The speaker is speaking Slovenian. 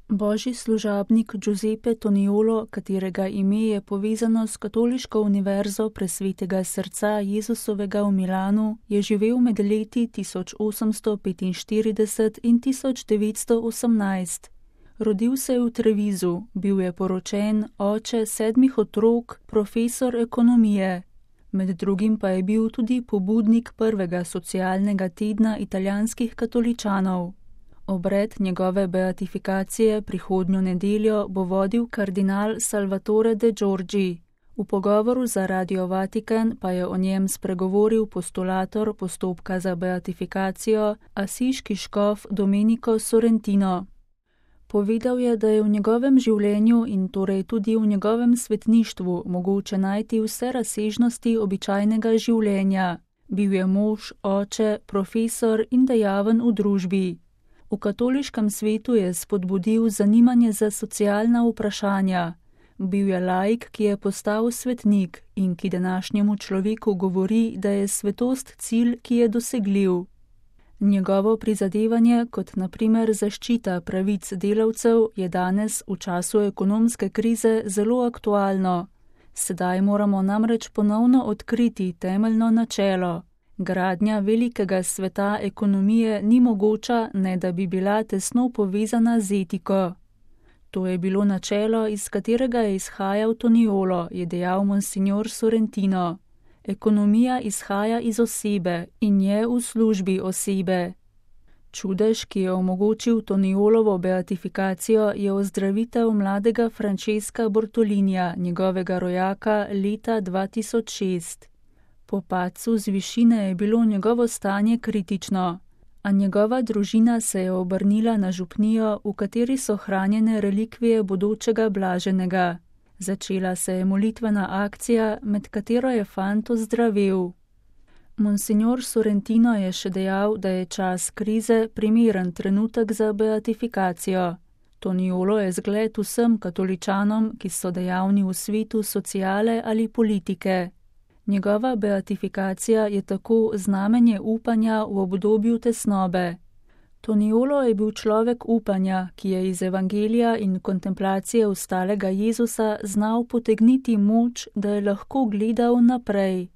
Božji služabnik Giuseppe Toniolo, katerega ime je povezano s Katoliško univerzo Presvetega srca Jezusovega v Milanu, je živel med leti 1845 in 1918. Rodil se je v Trevisu, bil je poročen, oče 7 otrok, profesor ekonomije. Med drugim pa je bil tudi pobudnik prvega socialnega tedna italijanskih katoličanov. Obred njegove beatifikacije prihodnjo nedeljo bo vodil kardinal Salvatore de Giorgi. V pogovoru za Radio Vatikan pa je o njem spregovoril postulator postopka za beatifikacijo, asiški škof Domenico Sorrentino. Povedal je, da je v njegovem življenju in torej tudi v njegovem svetništvu mogoče najti vse razsežnosti običajnega življenja. Bil je mož, oče, profesor in dejaven v družbi. V katoliškem svetu je spodbudil zanimanje za socialna vprašanja. Bil je laik, ki je postal svetnik in ki današnjemu človeku govori, da je svetost cilj, ki je dosegljiv. Njegovo prizadevanje, kot na primer zaščita pravic delavcev, je danes v času ekonomske krize zelo aktualno. Sedaj moramo namreč ponovno odkriti temeljno načelo. Gradnja velikega sveta ekonomije ni mogoča, ne da bi bila tesno povezana z etiko. To je bilo načelo, iz katerega je izhajal Toniolo, je dejal monsignor Sorrentino. Ekonomija izhaja iz osebe in je v službi osebe. Čudež, ki je omogočil Toniolovo beatifikacijo, je ozdravitev mladega Francesca Bortolinija, njegovega rojaka, leta 2006. Po padcu z višine je bilo njegovo stanje kritično, a njegova družina se je obrnila na župnijo, v kateri so hranjene relikvije bodočega blaženega. Začela se je molitvena akcija, med katero je fant ozdravel. Monsignor Sorrentino je še dejal, da je čas krize primeren trenutek za beatifikacijo. Toniolo je zgled vsem katoličanom, ki so dejavni v svetu sociale ali politike. Njegova beatifikacija je tako znamenje upanja v obdobju tesnobe. Toniolo je bil človek upanja, ki je iz evangelija in kontemplacije ustalega Jezusa znal potegniti moč, da je lahko gledal naprej.